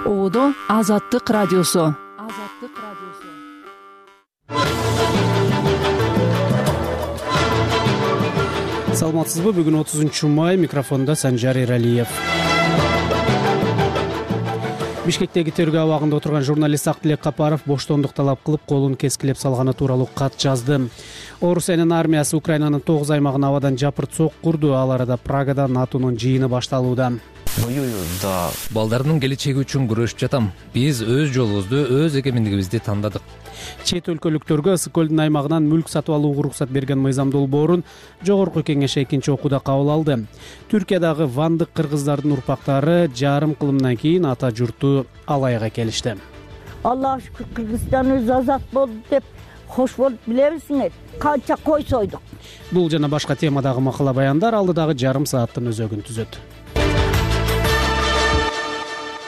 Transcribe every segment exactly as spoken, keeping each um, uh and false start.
Оодо Азаттык радиосу. Азаттык радиосу. Саламатсызбы? Бүгүн отузунчу май, микрофонда Санжар Эралиев. Бишкектеги тергөө абагында отурган журналист Актилек Капаров боштондук талап кылып, колун кескилеп салганы тууралуу кат жазды. Орусиянын армиясы Украинанын тогуз аймагын абадан жапырт сок курду. Ал арада Прагада НАТОнун жыйыны башталууда. Балдарымдын келечеги үчүн күрөшүп жатам. Биз өз жолубузду, өз эгемендигибизди тандадык. Чет өлкөлүктөргө Ысык көлдүн аймагынан мүлк сатып алууга уруксат берген мыйзам долбоорун Жогорку Кеңеш экинчи окууда кабыл алды. Түркиядагы вандык кыргыздардын урпактары жарым кылымдан кийин ата журту Алайга келишти. Аллах шүкүр, Кыргызстаныбыз азат болду деп кош болуп билебизиңер. Канча кой сойдук. Бул жана башка темадагы макала баяндар алдыдагы жарым сааттын өзөгүн түзөт.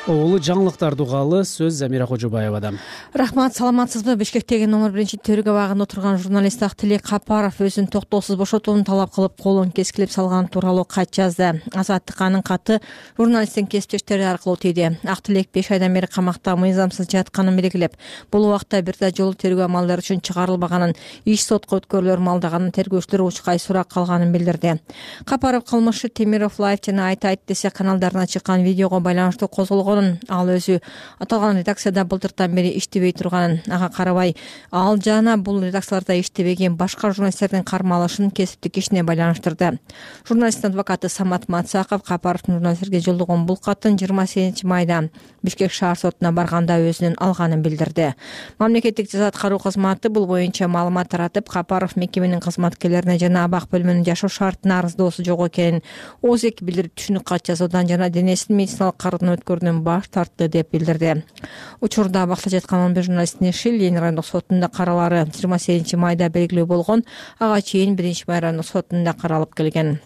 Оолу жаңылыктарды угалы, сөз Замира Кожобаевадан. Рахмат, саламатсызбы? Бишкектеги номер биринчи тергөө абагында отурган журналист Актилек Капаров өзүн токтоосуз бошотууну талап кылып, колун кескилеп салган тууралуу кат жазды. Азаттык анын каты журналисттин кесиптештери аркылуу тийди. Актилек беш айдан бери камакта мыйзамсыз жатканын белгилеп, бул убакта бир да жолу тергөө амалдары үчүн чыгарылбаганын, иш сотко өткөрүлөр малдаганын, тергөөчүлөр учкай сурак калганын билдирди. Капаров кылмышы Темиров Лайв жана Айт Айт десе каналдарына чыккан видеого байланыштуу козголгон. Ал өзү аталган редакцияда былтыртан бери иштебей турганын, ага карабай, ал жана бул редакцияларда иштебеген башка журналисттердин кармалышын кесиптик ишине байланыштырды. Журналисттин адвокаты Самат Мацаков Капаровдун журналисттерге жолдогон бул катын жыйырма сегизинчи майда Бишкек шаар сотуна барганда өзүнүн алганын билдирди. Мамлекеттик жаза аткаруу кызматы бул боюнча маалымат таратып, Капаров мекеменин кызматкерлерине жана абак бөлүмүнүн жашоо шартына арыздоосу жок экенин ооз-эки билдирип түшүнүк кат жазуудан жана денесин медициналык кароодон өткөрүүнөн баш тартты деп билдирди. Учурда абакта жаткан он бир журналисттин иши Ленин райондук сотунда каралары жыйырма сегизинчи майда белгилүү болгон, ага чейин биринчи май райондук сотунда каралып келген.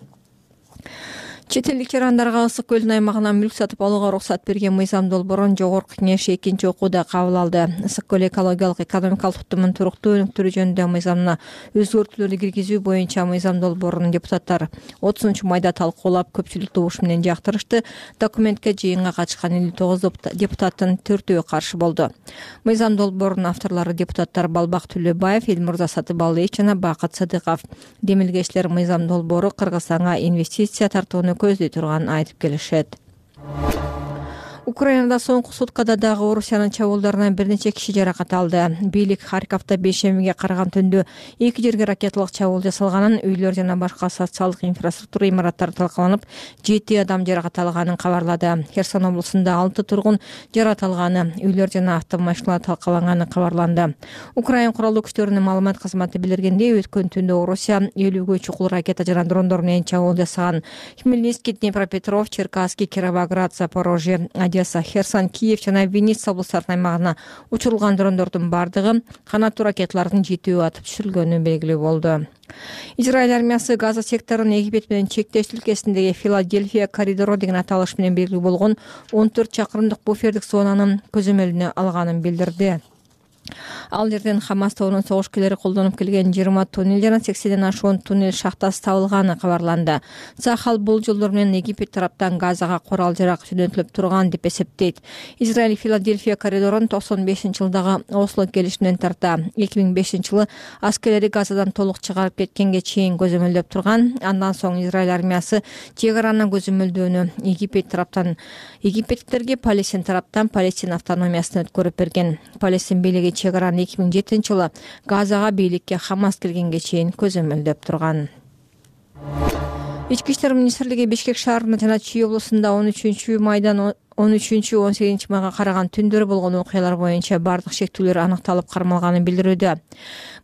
Чет элдик жарандарга Ысык көлдүн аймагынан мүлк сатып алууга уруксат берген мыйзам долбоорун Жогорку Кеңеш экинчи окууда кабыл алды. Ысык көл экологиялык экономикалык туттумун туруктуу өнүктүрүү жөнүндө мыйзамына өзгөртүүлөрдү киргизүү боюнча мыйзам долбоорун депутаттар отузунчу майда талкуулап, көпчүлүк добуш менен жактырышты. Документке жыйынга катышкан элүү тогуз депутаттын төртөө каршы болду. Мыйзам долбоорунун авторлору депутаттар Балбак Түлөбаев, Элмурза Сатыбалыев жана Бакыт Садыков. Демилгечилер мыйзам долбоору Кыргызстанга инвестиция тартууну көздөй турганын айтып келишет. Украинада соңку суткада дагы Орусиянын чабуулдарынан бир нече киши жаракат алды. Бийлик Харьковда бейшембиге караган түндө эки жерге ракеталык чабуул жасалганын, үйлөр жана башка социалдык инфраструктура имараттары талкаланып, жети адам жаракат алганын кабарлады. Херсон облусунда алты тургун жаракат алганы, үйлөр жана автомашиналар талкаланганы кабарланды. Украин куралдуу күчтөрүнүн маалымат кызматы билдиргендей, өткөн түндө Орусия элүүгө чукул ракета жана дрондор менен чабуул жасаган. Хмельницкий, Днепропетров, Черкасский, Кировоград, Запорожье, Одесса, Херсон, Киев жана Винница облустарынын аймагына учурулган дрондордун бардыгы канаттуу ракеталардын жетөө атып түшүрүлгөнү белгилүү болду. Израиль армиясы Газа секторунун Египет менен чектеш өлкөсүндөгү Филадельфия коридору деген аталыш менен белгилүү болгон он төрт чакырымдык буфердик зонанын көзөмөлүнө алганын билдирди. Ал жерден Хамас тобунун согушкерлери колдонуп келген жыйырма туннель жана сексенден ашуун туннель шахтасы табылганы кабарланды. Сахал бул жолдор менен Египет тараптан Газага курал жарак жөнөтүлүп турган деп эсептейт. Израиль Филадельфия коридорун токсон бешинчи жылдагы Осло келишиминен тарта эки миң бешинчи жылы аскерлери Газадан толук чыгарып кеткенге чейин көзөмөлдөп турган. Андан соң Израиль армиясы чек араны көзөмөлдөөнү Египет тараптан Египеттиктерге Палестин тараптан Палестин автономиясын өткөрүп берген. Палестин бийлиги чек араны эки миң жетинчи жылы Газага бийликке Хамас келгенге чейин көзөмөлдөп турган. Ички иштер министрлиги Бишкек шаарында жана Чүй облусунда он үчүнчү майдан он үчүнчү он сегизинчи майга караган түндөрү болгон окуялар боюнча бардык шектүүлөр аныкталып кармалганын билдирүүдө.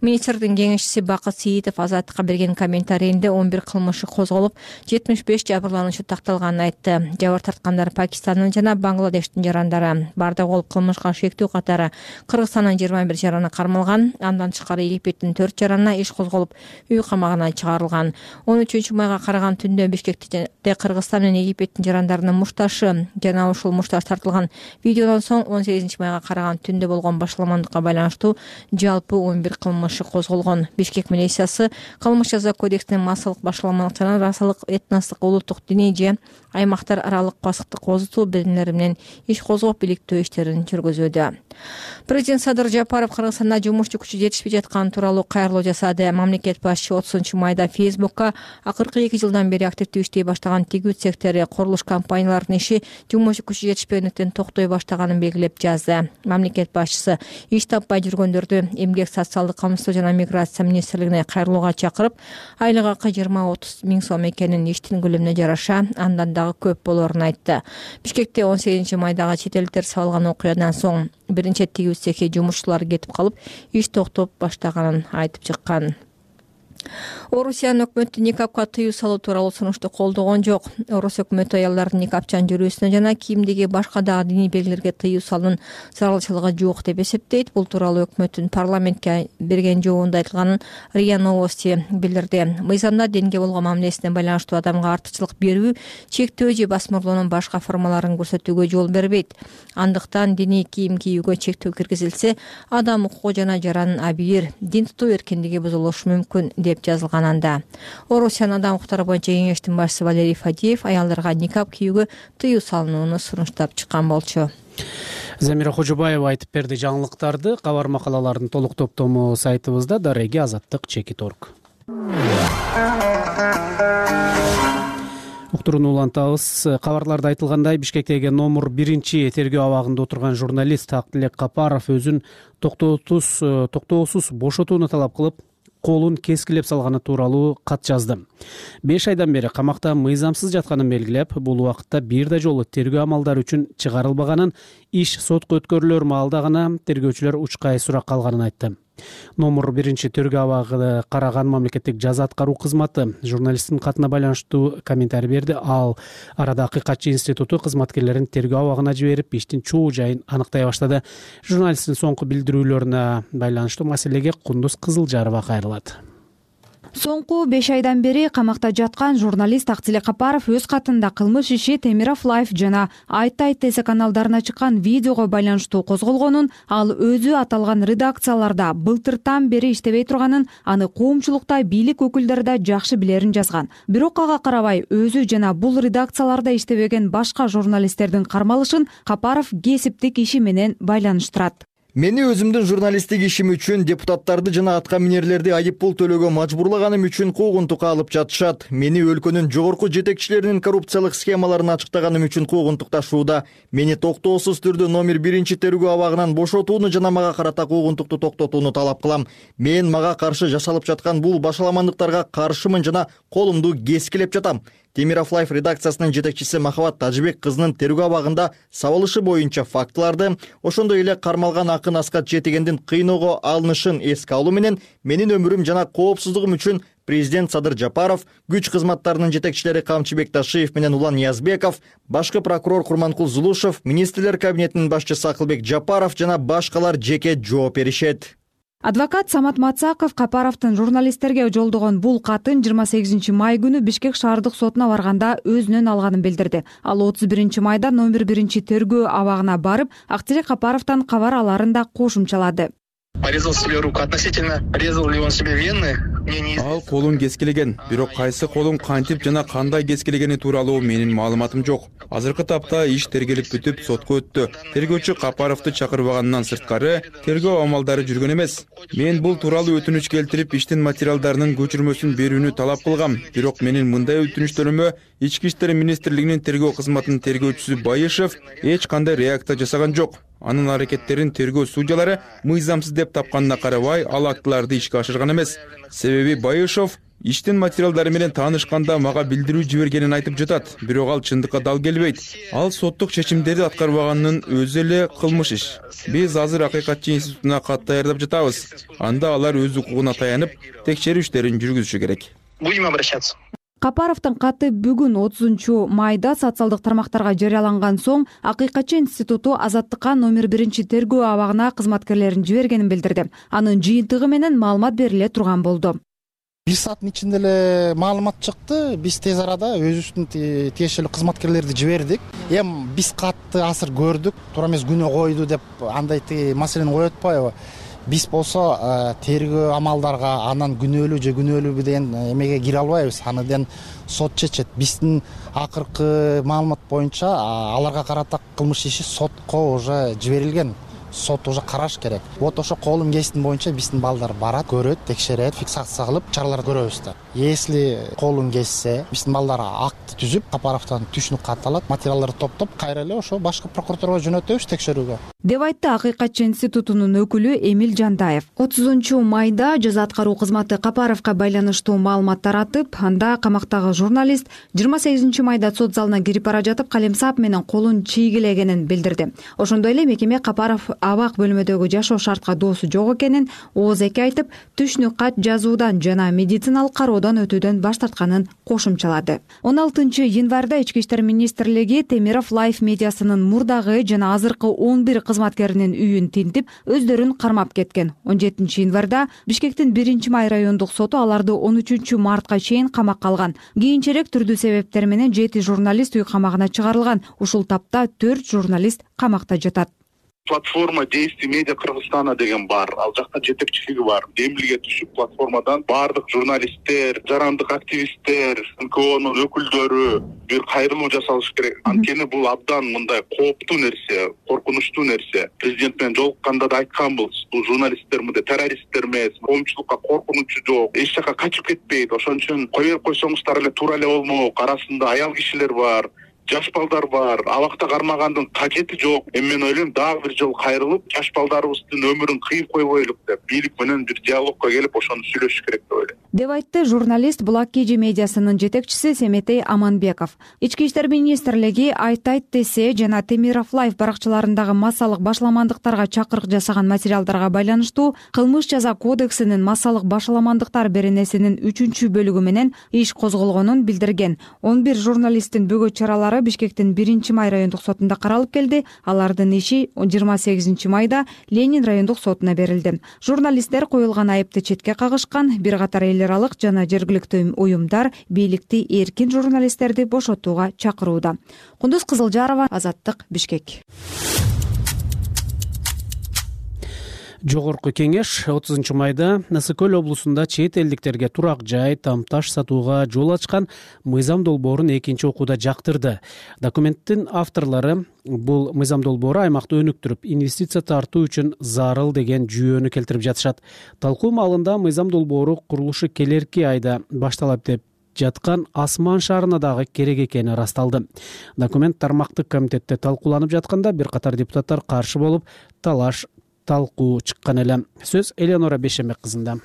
Министрдин кеңешчиси Бакыт Сиитов Азаттыкка берген комментарийинде он бир кылмышы козголуп, жетимиш беш жабырлануучу такталганын айтты. Жабыр тарткандар Пакистандын жана Бангладештин жарандары. Бардык ол кылмышка шектүү катары Кыргызстандын жыйырма бир жараны кармалган. Андан тышкары Египеттин төрт жаранына иш козголуп, үй камагына чыгарылган. он үчүнчү майга караган түндө Бишкекте Кыргызстан менен Египеттин жарандарынын мушташы жана ушул кылмыштар тартылган. Видеодон соң он сегизинчи майга караган түндө болгон башаламандыкка байланыштуу жалпы он бир кылмыш козголгон. Бишкек милициясы кылмыш жаза кодексинин массалык башаламандык жана расалык, этностук, улуттук, диний же аймактар аралык пасыктык козутуу беренелери менен иш козгоп иликтөө иштерин жүргүзүүдө. Президент Садыр Жапаров Кыргызстанда жумушчу күчү жетишпей жатканы тууралуу кайрылуу жасады. Мамлекет башчы отузунчу майда Фейсбукка акыркы эки жылдан бери активдүү иштей баштаган тигүүт сектори, курулуш компанияларынын иши жумушчу күчү жетишпегендиктен токтой баштаганын белгилеп жазды. Мамлекет башчысы иш таппай жүргөндөрдү Эмгек, социалдык камсыздоо жана миграция министрлигине кайрылууга чакырып, айлык акы жыйырма отуз миң сом экенин, иштин көлөмүнө жараша андан дагы көп болоорун айтты. Бишкекте он сегизинчи майдагы чет элдиктер сабалган окуядан соң биринчи тигүүт цехи жумушчулары кетип калып, иш токтоп баштаганын айтып чыккан. Орусиянын өкмөтү никапка тыюу салуу тууралуу сунушту колдогон жок. Орус өкмөтү аялдардын никапчан жүрүүсүнө жана кийимдеги башка дагы диний белгилерге тыюу салуунун зарылчылыгы жок деп эсептейт. Бул тууралуу өкмөттүн парламентке берген жообунда айтылганын РИА Новости билдирди. Мыйзамда динге болгон мамилесине байланыштуу адамга артыкчылык берүү, чектөө же басмырлоонун башка формаларын көрсөтүүгө жол бербейт. Андыктан диний кийим кийүүгө чектөө киргизилсе, адам укугу жана жаранын абийир, дин тутуу эркиндиги бузулушу мүмкүн деп жазылган анда. Орусиянын адам укуктары боюнча кеңештин башчысы Валерий Фадеев аялдарга никап кийүүгө тыюу салынууну сунуштап чыккан болчу. Замира Хожобаева айтып берди жаңылыктарды. Кабар макалалардын толук топтому сайтыбызда дареги азаттык чекит орг. Уктурууну улантабыз. Кабарларда айтылгандай, Бишкектеги номер биринчи тергөө абагында отурган журналист Актилек Капаров өзүн токтоосуз токтоосуз бошотууну талап кылып, колун кескилеп салганы тууралуу кат жазды. беш айдан бери камакта мыйзамсыз жатканын белгилеп, бул убакытта бир да жолу тергөө амалдары үчүн чыгарылбаганын, иш сотко өткөрүлөр маалда гана тергөөчүлөр учкай сурак калганын айтты. Номер биринчи тергөө абагы караган мамлекеттик жаза аткаруу кызматы журналисттин катына байланыштуу комментарий берди. Ал арада Акыйкатчы институту кызматкерлерин тергөө абагына жиберип, иштин чоо жайын аныктай баштады. Журналисттин соңку билдирүүлөрүнө байланыштуу маселеге Кундуз Кызылжарова кайрылат. Соңку беш айдан бери камакта жаткан журналист Актилек Капаров өз катында кылмыш иши Темиров Лайф жана Айт Айт Тесе каналдарына чыккан видеого байланыштуу козголгонун, ал өзү аталган редакцияларда былтыртан бери иштебей турганын, аны коомчулукта бийлик өкүлдөрү да жакшы билерин жазган. Бирок ага карабай өзү жана бул редакцияларда иштебеген башка журналисттердин кармалышын Капаров кесиптик иши менен байланыштырат. Мени өзүмдүн журналисттик ишим үчүн депутаттарды жана атка минерлерди айып пул төлөөгө мажбурлаганым үчүн куугунтукка алып жатышат. Мени өлкөнүн жогорку жетекчилеринин коррупциялык схемаларын ачыктаганым үчүн куугунтукташууда. Мени токтоосуз түрдө номер биринчи тергөө абагынан бошотууну жана мага карата куугунтукту токтотууну талап кылам. Мен мага каршы жашалып жаткан бул башаламандыктарга каршымын жана колумду кескилеп жатам. Темиров Лайф редакциясынын жетекчиси Махабат Тажыбек кызынын тергөө абагында сабылышы боюнча фактыларды, ошондой эле кармалган Акын Аскат Жетегендин кыйноого алынышын эске алуу менен менин өмүрүм жана коопсуздугум үчүн президент Садыр Жапаров, күч кызматтарынын жетекчилери Камчыбек Ташиев менен Улан Ниязбеков, башкы прокурор Курманкул Зулушев, министрлер кабинетинин башчысы Акылбек Жапаров жана башкалар жеке жооп беришет. Адвокат Самат Мацаков Капаровдун журналисттерге жолдогон бул катын жыйырма сегизинчи май күнү Бишкек шаардык сотуна барганда өзүнөн алганын билдирди. Ал отуз биринчи майда номер биринчи тергөө абагына барып, Актилек Капаровдон кабар аларын да кошумчалады. Порезал себе руку. Относительно резал ли он себе вены? Ал колун кескилеген, бирок кайсы колун кантип жана кандай кескилегени тууралуу менин маалыматым жок. Азыркы тапта иш тергелип бүтүп сотко өттү. Тергөөчү Капаровду чакырбагандан сырткары тергөө амалдары жүргөн эмес. Мен бул тууралуу өтүнүч келтирип, иштин материалдарынын көчүрмөсүн берүүнү талап кылгам. Бирок менин мындай өтүнүчтөрүмө Ички иштер министрлигинин тергөө кызматынын тергөөчүсү Байышев эч кандай реакция жасаган жок. Анын аракеттерин тергөө судьялары мыйзамсыз деп тапканына карабай, ал актыларды ишке ашырган эмес. Себеби Байышев иштин материалдары менен таанышканда мага билдирүү жибергенин айтып жатат, бирок ал чындыкка дал келбейт. Ал соттук чечимдерди аткарбаганын өзү эле кылмыш иш. Биз азыр Акыйкатчы институтуна кат даярдап жатабыз. Анда алар өз укугуна таянып, текшерүү иштерин жүргүзүшү керек. Будем обращаться. Капаровдун каты бүгүн отузунчу майда социалдык тармактарга жарыяланган соң Акыйкатчы институту азаттыкка номер биринчи тергөө абагына кызматкерлерин жибергенин билдирди. Анын жыйынтыгы менен маалымат бериле турган болду. бир сааттын ичинде эле маалымат чыкты. Биз тез арада өзүбүздүн тиешелүү кызматкерлерди жибердик. Эми биз катты асыр көрдүк, туура эмес күнөө койду деп андай маселени коюп атпайбы? Биз болсо тергөө амалдарга анан күнөөлүү же күнөөлүүбү деген эмеге кире албайбыз. Андан сот чечет. Биздин акыркы маалымат боюнча аларга карата кылмыш иши сотко уже жиберилген. Сот уже караш керек. Вот ошо колун кесиптин боюнча биздин балдар барат, көрөт, текшерет, фиксация кылып чаралар көрөбүз да. Если колун кессе, биздин балдар акты түзүп, Капаровдон түшүнүк кат алат, материалдарды топтоп, кайра эле ошо башкы прокуратурага жөнөтөбүз текшерүүгө. Деп айтты Акыйкатчы институтунун өкүлү Эмил Жантаев. отузунчу майда жаза аткаруу кызматы Капаровго байланыштуу маалымат таратып, анда камактагы журналист жыйырма сегизинчи майда сот залына кирип бара жатып калемсап менен колун чийгилегенин билдирди. Ошондой эле мекеме Капаров абак бөлмөдөгү жашоо шартка доосу жок экенин ооз эки айтып, түшүнүк кат жазуудан жана медициналык кароодон өтүүдөн баш тартканын кошумчалады. он алтынчы январда Ички иштер министрлиги Темиров Лайф медиасынын мурдагы жана азыркы он бир кызматкеринин үйүн тинтип, өздөрүн кармап кеткен. он жетинчи январда Бишкектин биринчи май райондук соту аларды он үчүнчү мартка чейин камакка алган. Кийинчерээк түрдүү себептер менен жети журналист үй камагына чыгарылган. Ушул тапта төрт журналист камакта жатат. Платформа действий медиа Кыргызстана деген бар. Ал жакта жетекчилиги бар. Демилге түшүп платформадан бардык журналисттер, жарандык активисттер, эн ка онун өкүлдөрү бир кайрылуу жасалыш керек. Анткени бул абдан мындай кооптуу нерсе, коркунучтуу нерсе. Президент менен жолукканда да айтканбыз. Бул журналисттер мындай террористтер эмес, коомчулукка коркунучу жок, эч жака качып кетпейт. Ошон үчүн кое берип койсоңуздар эле туура эле болмок. Арасында аял кишилер бар, жаш балдар бар. Абакта кармагандын кажети жок. Эми мен ойлойм, дагы бир жолу кайрылып, жаш балдарыбыздын өмүрүн кыйып койбойлук деп, бийлик менен бир диалогко келип, ошону сүйлөшүш керек деп ойлойм. Деп айтты журналист Булак Кежи медиасынын жетекчиси Семетей Аманбеков. Ички иштер министрлиги Айт айт десе жана Темиров Лайф баракчаларындагы массалык башаламандыктарга чакырык жасаган материалдарга байланыштуу Кылмыш жаза кодексинин массалык башаламандыктар беренесинин үчүнчү бөлүгү менен иш козголгонун билдирген. он бир журналисттин бөгөт чаралары Бишкектин биринчи май райондук сотунда каралып келди. Алардын иши жыйырма сегизинчи майда Ленин райондук сотуна берилди. Журналисттер коюлган айыпты четке кагышкан. Бир катар эл аралык жана жергиликтүү уюмдар бийликти эркин журналисттерди бошотууга чакырууда. Кундуз Кызылжарова, Азаттык, Бишкек. Жогорку кеңеш отузунчу майда Ысык Көл облусунда чет элдиктерге турак жай, тамташ сатууга жол ачкан мыйзам долбоорун экинчи окууда жактырды. Документтин авторлору бул мыйзам долбоору аймакты өнүктүрүп, инвестиция тартуу үчүн зарыл деген жүйөнү келтирип жатышат. Талкуу маалында мыйзам долбоору курулушу келерки айда башталат деп жаткан Асман шаарына дагы керек экени ырасталды. Документ тармактык комитетте талкууланып жатканда бир катар депутаттар каршы болуп, талаш талкуу чыккан эле. Сөз Эленора Бешемек кызында.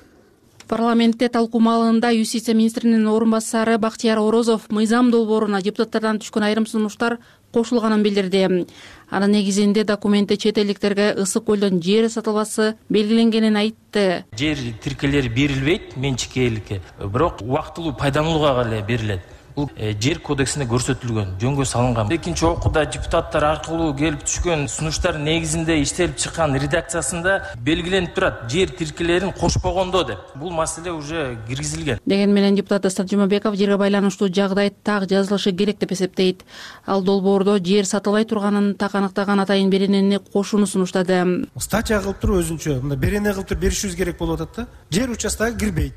Парламентте талкуу маалында юстиция министринин орун басары Бактияр Орозов мыйзам долбооруна депутаттардан түшкөн айрым сунуштар кошулганын билдирди. Анын негизинде документте чет элдиктерге Ысык Көлдөн жер сатылбасы белгиленгенин айтты. Жер тиркелери берилбейт менчикке эликке, бирок убактылуу пайдаланууга эле берилет. Бул жер кодексинде көрсөтүлгөн, жөнгө салынган. Экинчи окууда депутаттар аркылуу келип түшкөн сунуштар негизинде иштелип чыккан редакциясында белгиленип турат, жер тиркелерин кошпогондо деп. Бул маселе уже киргизилген. Деген менен депутат Дастан Жумабеков жерге байланыштуу жагдай так жазылышы керек деп эсептейт. Ал долбоордо жер сатылбай турганын так аныктаган атайын беренени кошууну сунуштады. Статья кылып туруп өзүнчө мындай берене кылып туруп беришибиз керек болуп атат да. Жер участогуна кирбейт.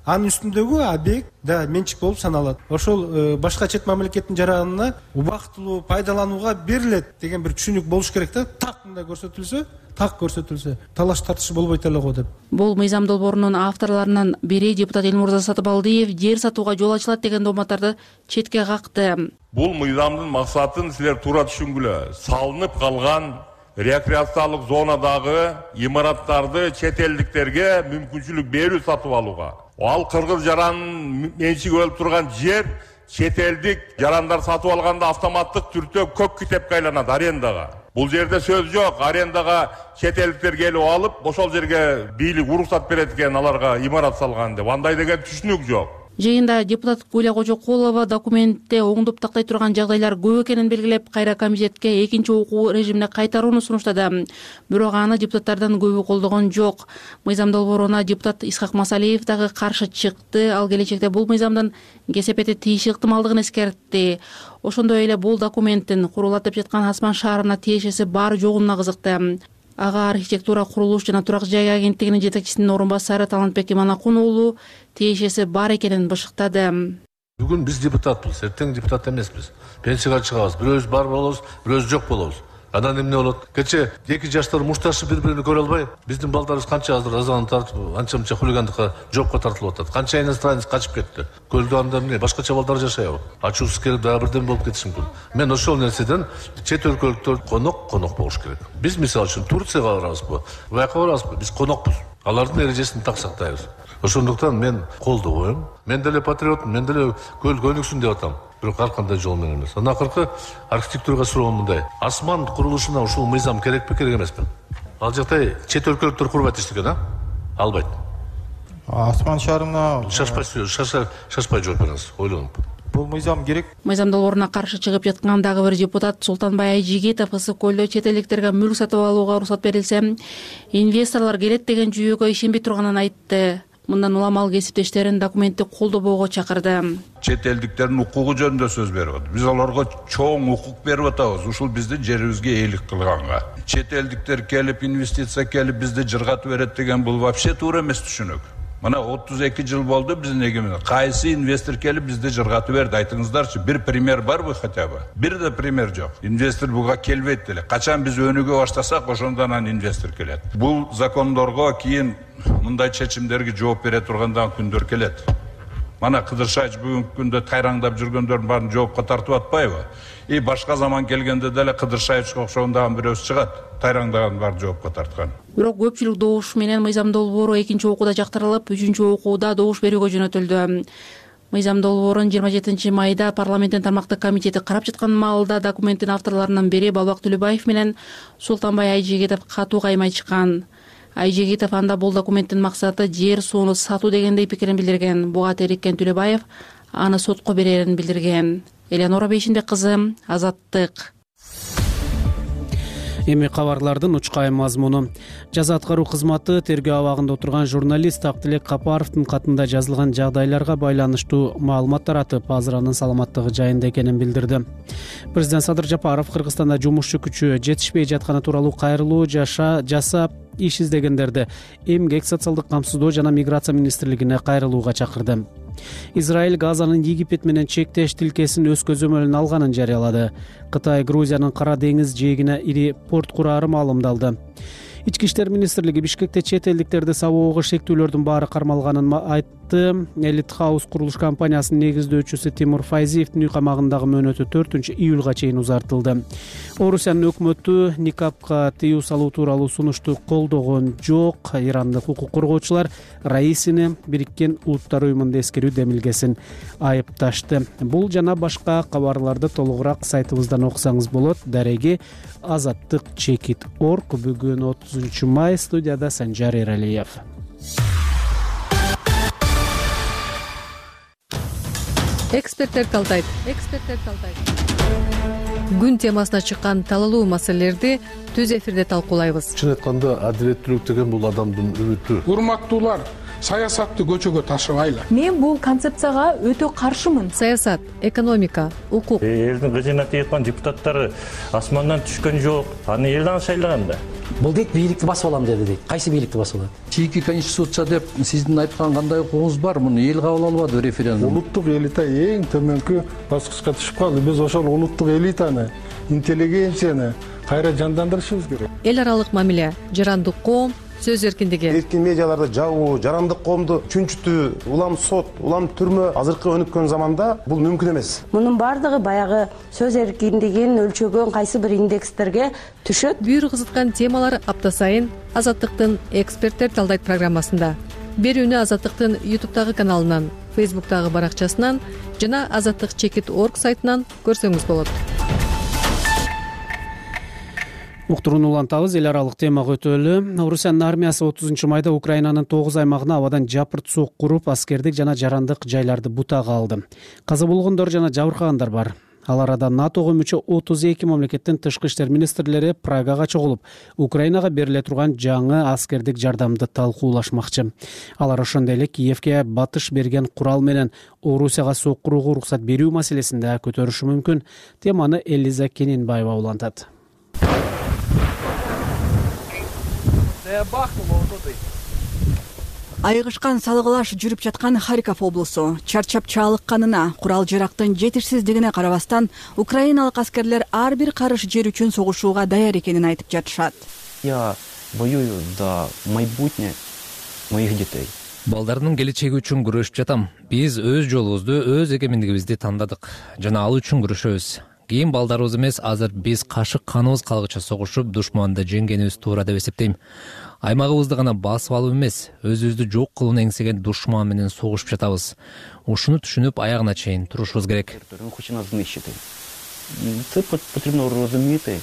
Анын үстүндөгү объект да менчик болуп саналат. Ошол башка чет мамлекеттин жаранына убактылуу пайдаланууга берилет деген бир түшүнүк болуш керек да. Так мындай көрсөтүлсө, так көрсөтүлсө, талаш тартыш болбойт эле го деп. Бул мыйзам долбоорунун авторлорунун бири депутат Элмурза Сатыбалдиев жер сатууга жол ачылат деген дооматтарды четке какты. Бул мыйзамдын максатын силер туура түшүнгүлө. Салынып калган рекреациялык зонадагы имараттарды чет элдиктерге мүмкүнчүлүк берүү сатып алууга. Ал кыргыз жаранын менчиги болуп турган жер чет элдик жарандар сатып алганда автоматтык түрдө көк китепке айланат арендага. Бул жерде сөз жок, арендага чет элдиктер келип алып, ошол жерге бийлик уруксат берет экен аларга имарат салган деп. Андай деген түшүнүк жок. Жыйында депутат Гуля Кожокулова документте оңдоп тактай турган жагдайлар көп экенин белгилеп, кайра комитетке экинчи окуу режимине кайтарууну сунуштады. Бирок аны депутаттардан көбү колдогон жок. Мыйзам долбооруна депутат Исхак Масалиев дагы каршы чыкты. Ал келечекте бул мыйзамдын кесепети тийиши ыктымалдыгын эскертти. Ошондой эле бул документтин курулатып жаткан Асман шаарына тиешеси бар жогуна кызыкты. Ага архитектура, курулуш жана турак жай агенттигинин жетекчисинин орун басары Талантбек Иманакун уулу тиешеси бар экенин бышыктады. Бүгүн биз депутатпыз, эртең депутат эмеспиз. Пенсияга чыгабыз, бирөөбүз бар болобуз, бирөөбүз жок болобуз. Анан эмне болот? Кече эки жаштар мушташып бири-биrini көрө албай, биздин балдарыбыз канча азыр азан тартып, анча-мынча хулигандыкка, жокко тартылып атат. Канча иностранец качып кетти. Көлдө анда эмне, башкача балдар жашайбы? Ачуусу келип дагы бирден болуп кетиши мүмкүн. Мен ошол нерседен чет өлкөлүктөр конок, конок болуш керек. Биз мисалы үчүн Турцияга барабызбы, Бuyакка барабызбы? Биз конокпуз. Алардын эрежесин так сактайбыз. Ошондуктан мен колдобойм. Мен деле патриотмун, мен деле көл көнүксүн деп атам. Бирок ар кандай жол менен эмес. Анан акыркы архитектурага суроом мындай. Асман курулушуна ушул мыйзам керекпи, керек эмеспи? Ал жакта чет өлкөлүктөр курбайт эчтеке, а? Албайт. Асман шаарына шашпай шашпай жооп бериңиз, ойлонуп. Бул мыйзам керек. Мыйзам долбооруна каршы чыгып жаткан дагы бир депутат Султанбай Айжигитов ысык көлдө чет элдиктерге мүлк сатып алууга уруксат берилсе, инвесторлор келет деген жүйөгө ишенбей турганын айтты. Мындан улам ал кесиптештерин документти колдобоого чакырды. Чет элдиктердин укугу жөнүндө сөз берип атат. Биз аларга чоң укук берип атабыз, ушул биздин жерибизге ээлик кылганга. Чет элдиктер келип инвестиция келип бизди жыргатып берет деген бул вообще туура эмес түшүнүк. Мына отуз эки жыл болду биздин эгемендик. Кайсы инвестор келип бизди жыргатып берди, айтыңыздарчы. Бир пример барбы хотя бы? Бир да пример жок. Инвестор буга келбейт деле. Качан биз өнүгө баштасак, ошондон анан инвестор келет. Бул закондорго кийин мындай чечимдерге жооп бере тургандан күндөр келет. Мана Кыдыр Шайч бүгүнкү күндө тайраңдап жүргөндөрдүн баарын жоопко тартып атпайбы? И башка заман келгенде деле Кыдыр Шайчка окшогондагы бирөөсү чыгат, тайраңдаган баарын жоопко тарткан. Бирок көпчүлүк добуш менен мыйзам долбоору экинчи окууда жактырылып, үчүнчү окууда добуш берүүгө жөнөтүлдү. Мыйзам долбоорун жыйырма жетинчи майда парламенттин тармактык комитети карап жаткан маалда документтин авторлорунун бири Балбак Төлөбаев менен Султанбай Айжигитов катуу каймай чыккан. Айжигитов анда бул документтин максаты жер сууну сатуу дегендей пикирин билдирген. Буга териккен Төлөбаев аны сотко берерин билдирген. Элеонора Бейшинбек кызы, Азаттык. Эми кабарлардын учкайым мазмуну. Жаза аткаруу кызматы тергөө абагында отурган журналист Актилек Капаровдун катында жазылган жагдайларга байланыштуу маалымат таратып, азыр анын саламаттыгы жайында экенин билдирди. Президент Садыр Жапаров Кыргызстанда жумушчу күчү жетишпей жатканы тууралуу кайрылуу жаша жасап иш издегендерди эмгек, социалдык камсыздоо жана миграция министрлигине кайрылууга чакырды. Израиль Газанын Египет менен чектеш тилкесин өз көзөмөлүнө алганын жарыялады. Кытай Грузиянын Кара деңиз жээгине ири порт курары маалымдалды. Ички иштер министрлиги Бишкекте чет элдиктерди сабоого шектүүлөрдүн баары кармалганын айтты. Элит Хаус курулуш компаниясынын негиздөөчүсү Тимур Файзиевдин үй камагындагы мөөнөтү төртүнчү июлга чейин узартылды. Орусиянын өкмөтү никапка тыюу салуу тууралуу сунушту колдогон жок. Ирандык укук коргоочулар Раисини Бириккен Улуттар уюмунда эскерүү демилгесин айыпташты. Бул жана башка кабарларды толугураак сайтыбыздан окусаңыз болот. Дареги азаттык чекит точка орг. Бүгүн отузунчу май, студияда Санжар Эралиев. Эксперттер талдайт. Эксперттер талдайт. Күн темасына чыккан талалуу маселелерди түз эфирде талкуулайбыз. Чын айтканда, адилеттүүлүк деген бул адамдын үмүтү. Урматтуулар, саясатты көчөгө ташыбайлы. Мен бул концепцияга өтө каршымын. Саясат, экономика, укук. Элдин кызына тийган депутаттары асмандан түшкөн жок. Аны эл аны шайлаган да. Бул дейт бийликти басып алам деди дейт. Кайсы бийликти басып алат? Чийки конституция деп сиздин айткан кандай укугуңуз бар? Муну эл кабыл албады референдум. Улуттук элита эң төмөнкү баскычка түшүп калды. Биз ошол улуттук элитаны, интеллигенцияны кайра жандандырышыбыз керек. Эл аралык мамиле, жарандык коом, сөз эркиндиги. Эркин медиаларды жабуу, жарандык коомду чүнчүтүү, улам сот, улам түрмө азыркы өнүккөн заманда бул мүмкүн эмес. Мунун бардыгы баягы сөз эркиндигин өлчөгөн кайсы бир индекстерге түшөт. Бүйүр кызыткан темалар апта сайын Азаттыктын эксперттер талдайт программасында. Берүүнү Азаттыктын ютубтагы каналынан, фейсбуктагы баракчасынан жана азаттык чекит точка орг сайтынан көрсөңүз болот. Уктурууну улантабыз. Эл аралык темага өтөлү. Орусиянын армиясы отузунчу майда Украинанын тогуз аймагына абадан жапырт сок куруп, аскердик жана жарандык жайларды бутага алды. Каза болгондор жана жабыркагандар бар. Ал арада натого мүчө отуз эки мамлекеттин тышкы иштер министрлери Прагага чогулуп, Украинага бериле турган жаңы аскердик жардамды талкуулашмакчы. Алар ошондой эле Киевке батыш берген курал менен Орусияга сок курууга уруксат берүү маселесинде көтөрүшү мүмкүн. Теманы Элиза Кененбаева улантат. Айгышкан салгылаш жүрүп жаткан Харьков облусу чарчап чалыкканына, курал жарактын жетишсиздигине карабастан, украиналык аскерлер ар бир карыш жер үчүн согушууга даяр экенин айтып жатышат. Я воюю за майбутнее моих детей. Балдардын келечеги үчүн күрөшүп жатам. Биз өз жолубузду, өз эгемендигибизди тандадык жана ал үчүн күрөшөбүз. Кийин балдарыбыз эмес, азыр биз кашык каныбыз калгыча согушуп, душманды жеңгенибиз туура деп эсептейм. Аймагыбызды гана басып алып эмес, өзүбүздү жок кылууну эңсеген душман менен согушуп жатабыз. Ушуну түшүнүп, аягына чейин турушубуз керек. Хоче нас знищити. Це потрібно розуміти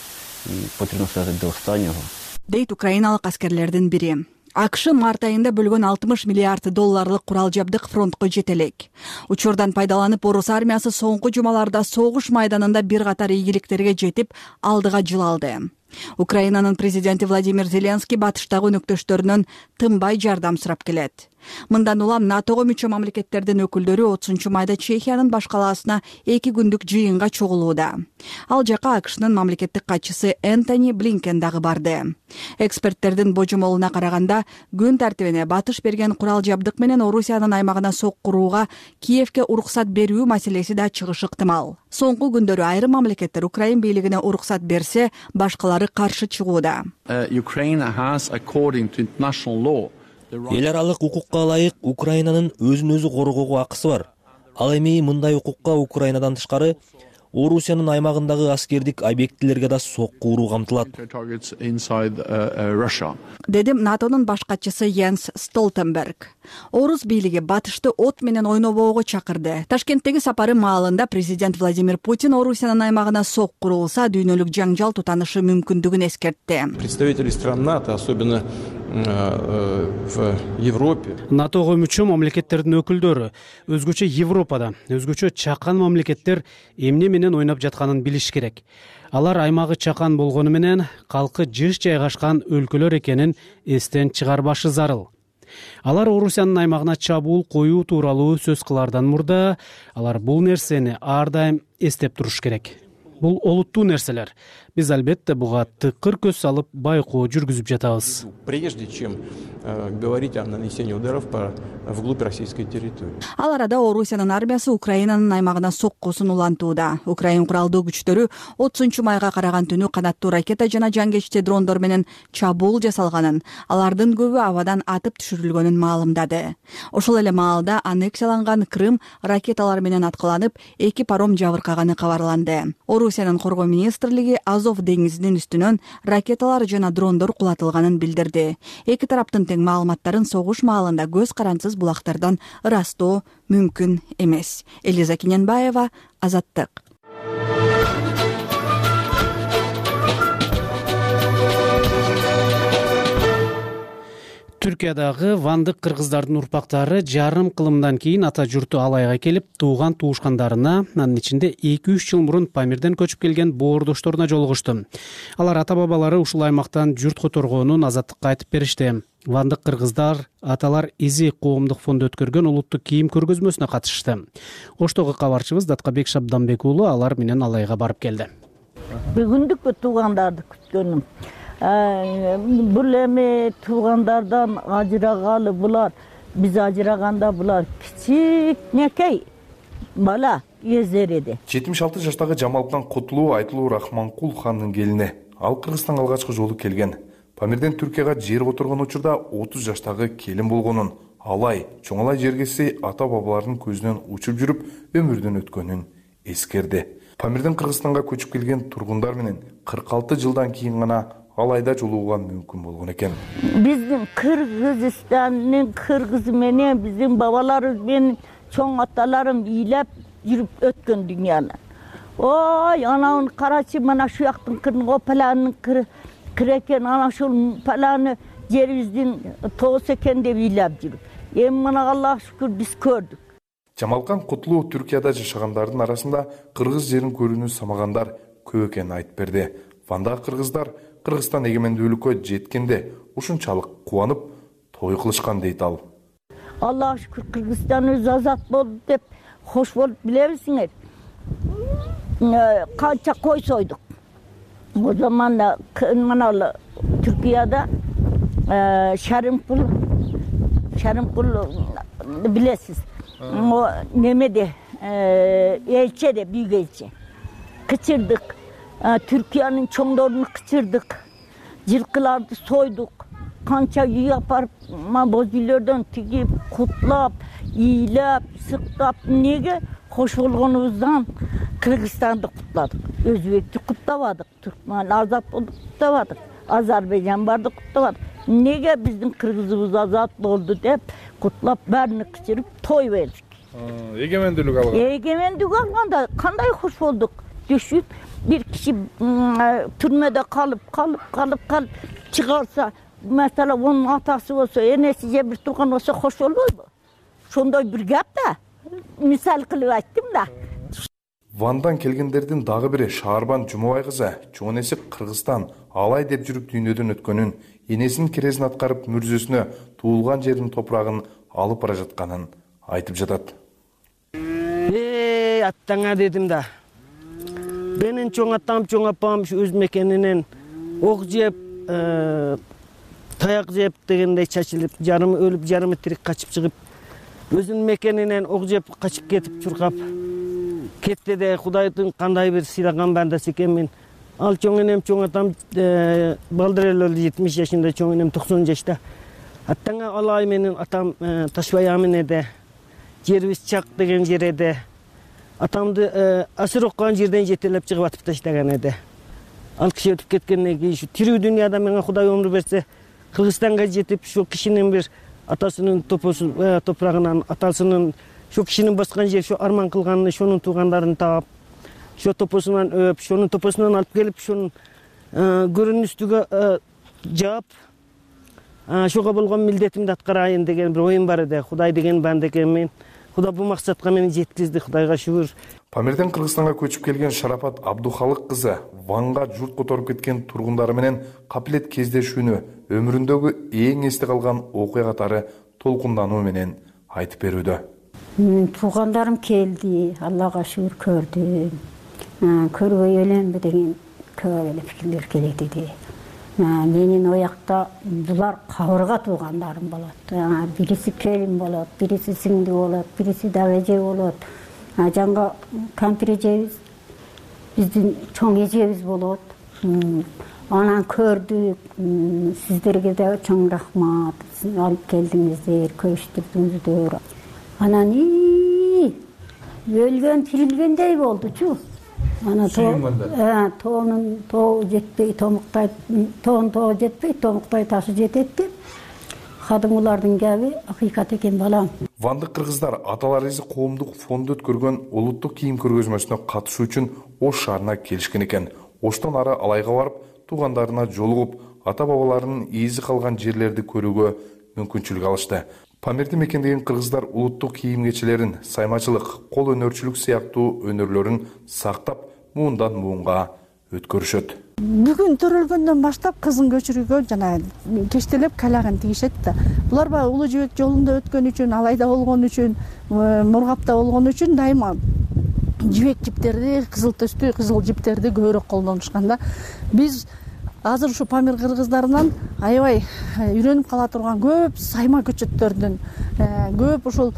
і потрібно ставити до останнього. Дейт украиналык аскерлердин бири. АКШ март айында бөлгөн алтымыш миллиард долларлык курал жабдык фронтко жете элек. Учурдан пайдаланып, орус армиясы соңку жумаларда согуш майданында бир катар ийгиликтерге жетип, алдыга жыл алды. Украинанын президенти Владимир Зеленский батыштагы өнөктөштөрүнөн тынбай жардам сурап келет. Мындан улам натого мүчө мамлекеттердин өкүлдөрү отузунчу майда Чехиянын баш калаасына эки күндүк жыйынга чогулууда. Ал жака АКШнын мамлекеттик катчысы Энтони Блинкен дагы барды. Эксперттердин божомолуна караганда, күн тартибине батыш берген курал жабдык менен Орусиянын аймагына сок курууга Киевке уруксат берүү маселеси да чыгышы ыктымал. Соңку күндөрү айрым мамлекеттер Украин бийлигине уруксат берсе, башкалары каршы чыгууда. Эл аралык укукка ылайык Украинанын өзүн өзү коргоого акысы бар. Ал эми мындай укукка Украинадан тышкары Орусиянын аймагындагы аскердик объектилерге да сок куруу камтылат. Дедим НАТОнун баш катчысы Йенс Столтенберг. Орус бийлиги батышты от менен ойнобоого чакырды. Ташкенттеги сапары маалында президент Владимир Путин Орусиянын аймагына сок курулса, дүйнөлүк жаңжал тутанышы мүмкүндүгүн эскертти. Представители стран НАТО, особенно в Европе. НАТОго мүчө мамлекеттердин өкүлдөрү өзгөчө Европада, өзгөчө чакан мамлекеттер эмне менен ойноп жатканын билиш керек. Алар аймагы чакан болгону менен калкы жыш жайгашкан өлкөлөр экенин эстен чыгарбашы зарыл. Алар Орусиянын аймагына чабуул коюу тууралуу сөз кылаардан мурда алар бул нерсени ар дайым эстеп туруш керек. Бул олуттуу нерселер. Биз албетте буга тыкыр көз салып байкоо жүргүзүп жатабыз. Прежде чем говорить о нанесении ударов по вглубь российской территории. Ал арада Орусиянын армиясы Украинанын аймагына соккусун улантууда. Украин куралдуу күчтөрү отузунчу майга караган түнү канаттуу ракета жана жангечти дрондор менен чабуул жасалганын, алардын көбү абадан атып түшүрүлгөнүн маалымдады. Ошол эле маалда аннексияланган Крым ракеталар менен аткыланып, эки паром жабыркаганы кабарланды. Орусиянын коргоо министрлиги Азов деңизинин үстүнөн ракеталар жана дрондор кулатылганын билдирди. Эки тараптын тең маалыматтарын согуш маалында көз карансыз булактардан ырастоо мүмкүн эмес. Элиза Кененбаева, Азаттык. Түркиядагы вандык кыргыздардын урпактары жарым кылымдан кийин ата журту Алайга келип, тууган туушкандарына, анын ичинде эки үч жыл мурун Памирден көчүп келген боордошторуна жолугушту. Алар ата-бабалары ушул аймактан журт которгонун Азаттыкка айтып беришти. Вандык кыргыздар аталар изи коомдук фонду өткөргөн улуттук кийим көргөзмөсүнө катышты. Оштогу кабарчыбыз Даткабек Шабданбек уулу алар менен Алайга барып келди. Бүгүндүк туугандарды күткөнүм. Бул эми туугандардан ажырагалы булар, биз ажыраганда булар кичикнекей бала эзер эди. жетимиш алты жаштагы Жамалкан Кутулуу Айтылуу Рахманкул хандын келини. Ал Кыргызстанга алгачкы жолу келген. Памирден Түркияга жер которгон учурда отуз жаштагы келин болгонун, Алай чоңалай жергеси ата-бабалардын көзүнөн учуп жүрүп өмүрдөн өткөнүн эскерди. Памирден Кыргызстанга көчүп келген тургундар менен кырк алты жылдан кийин гана Алайда жолугууга мүмкүн болгон экен. Биздин Кыргызстандын кыргызы менен биздин бабаларыбыз менен чоң аталарым ыйлап жүрүп өткөн дүйнөнү. Ой, анан карачы, мына şu жактын кырын, опаланын кыры, кирекен ana ушул паланы жерибиздин тоос экен деп ыйлап жүрүп. Эми мына Аллага шүкүр биз көрдүк. Жамалкан Кутлуу Түркияда жашагандардын арасында кыргыз жерин көрүүнү самагандар көп экенин айтып берди. Вандагы кыргыздар Кыргызстан эгемендүүлүккө жеткенде ушунчалык кубанып той кылышкан дейт ал. Аллага шүкүр Кыргызстаныбыз азат болду деп хош болуп билебизиңер. Канча кой сойдук. O zaman da Manalı Türkiye'de e, Şerimkul Şerimkul bilesiz. O Nemede e, elçi de büyük elçi. Kıçırdık. E, Türkiye'nin çoğunlarını kıçırdık. Cilkılardı soyduk. Kança yapar bozgüllerden tigip, kutlap, iyilep, sıktap. Nege? Hoş olğanımızdan Kırgızistan'da kutladık. Özbek'te kutlamadık. Türkmen azat oldu kutlamadık. Azerbaycan vardı kutlamadık. Nege bizim Kırgızımız azat oldu deyip kutlap bärini kıçırıp toy verdik. Egemendүүлүк алган. Egemendүүлүk alganda kanday hoş olduk. Düşüp bir kişi türmede kalıp kalıp kalıp kalıp çıkarsa mesela onun atası olsa, enesice bir tuğan olsa hoş olur mu? Şonday bir gap da. Misal kılıp ayttım da. Вандан келгендердин дагы бири Шаарбан Жумабай кызы чоң энеси Кыргызстан алай деп жүрүп дүйнөдөн өткөнүн, энесинин керезин аткарып мүрзөсүнө туулган жердин топурагын алып бара жатканын айтып жатат. Эй, аттаңа дедим да. Менин чоң атам, чоң апам өз мекенинен ок жеп, таяк жеп дегендей чачылып, жарымы өлүп, жарымы тирик качып чыгып, өзүнүн мекенинен ок жеп качып кетип чуркап кетти де Кудайдын кандай бир сыйлаган бандасы экенмин. Ал чоң энем, чоң атам балдыр эле өлдү, жетимиш жашында, чоң энем токсон жашта. Аттаңа алай менин атам Ташбай Аминеде, жерибиз Чак деген жер эди. Атамды асыр оккан жерден жетелеп чыгып атып таштаган эди. Ал киши өтүп кеткенден кийин ушу тирүү дүйнөдө менге Кудай өмүр берсе, Кыргызстанга жетип, ушул кишинин бир атасынын топурагынан, атасынын şu kişinin баскан жер, şu арман кылганын, şonun туугандарын таап, şu топосунан өп, şonun топосунан алып келип, şonun көрүнүн үстүгө жаап, şoga болгон милдетимди аткарайын деген бир оюм бар эди. Кудай деген банда экенмин. Кудай бул максатка мени жеткизди, Кудайга шүгүр. Памирден Кыргызстанга көчүп келген Шарапат Абдухалык кызы Ванга журт которуп кеткен тургундары менен капилет кездешүүнү өмүрүндөгү эң эсте калган окуя катары толкундануу менен айтып берүүдө. Туугандарым келди, Аллага шүгүр көрдүм. Көрбөй эленби деген көп эле пикирлер келет эди. Менин оякта булар кабырга туугандарым болот. Бириси келин болот, бириси сиңди болот, бириси дагы эже болот. Жанга кампир эжебиз, биздин чоң эжебиз болот. Анан көрдүк, сиздерге да чоң рахмат. Алып келдиңиздер, көчтүрдүңүздөр. Анан өлгөн тирилгендей болдучу. Ана тоонун тоо жетпей, томуктай, тоон тоо жетпей, томуктай ташы жетет деп. Кадымгылардын кеби акыйкат экен балам. Вандык кыргыздар Аталарыбыз коомдук фонду өткөргөн улуттук кийим көргөзмөсүнө катышуу үчүн Ош шаарына келишкен экен. Оштон ары Алайга барып, туугандарына жолугуп, ата-бабаларынын ийизи калган жерлерди көрүүгө мүмкүнчүлүк алышты. Памирди мекендеген кыргыздар улуттук кийим кечелерин, саймачылык, кол өнөрчүлүк сыяктуу өнөрлөрүн сактап, муундан муунга өткөрүшөт. Бүгүн төрөлгөндөн баштап кызын көчүрүүгө жана кештелеп калагын тигишет да. Булар баягы Улуу Жибек жолунда өткөн үчүн, Алайда болгон үчүн, Мургапта болгон үчүн дайыма жибек жиптерди, кызыл төстүү кызыл жиптерди көбүрөөк колдонушкан да. Биз азыр ушу Памир кыргыздарынан аябай үйрөнүп кала турган көп сайма көчөттөрдүн, көп ушул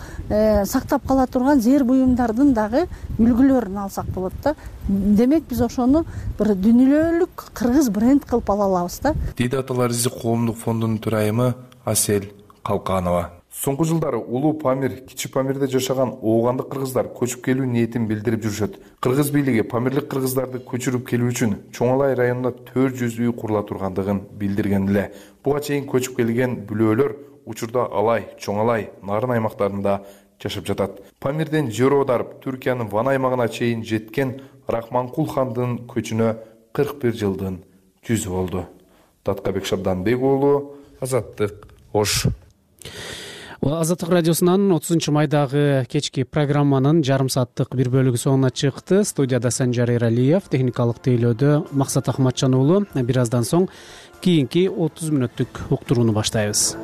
сактап кала турган зер буюмдардын дагы үлгүлөрүн алсак болот да. Демек биз ошону бир дүйнөлүк кыргыз бренд кылып ала алабыз да. Дейди Аталарыбыз коомдук фондунун төрайымы Асел Калканова. Соңку жылдары Улуу Памир, Кичи Памирде жашаган оогандык кыргыздар көчүп келүү ниетин билдирип жүрүшөт. Кыргыз бийлиги памирлик кыргыздарды көчүрүп келүү үчүн Чоңалай районунда төрт жүз үй курула тургандыгын билдирген эле. Буга чейин көчүп келген бүлөөлөр учурда Алай, Чоңалай, Нарын аймактарында жашап жатат. Памирден жер аударып, Түркиянын Ван аймагына чейин жеткен Рахманкул хандын көчүнө кырк бир жылдын жүзү болду. Таткабек Шабданбек уулу, Азаттык, Ош. Азаттык радиосунан отузунчу майдагы кечки программанын жарым сааттык бир бөлүгү соңуна чыкты. Студияда Санжар Эралиев, техникалык тейлөөдө Максат Ахматжан уулу. Бир аздан соң кийинки отуз мүнөттүк уктурууну баштайбыз.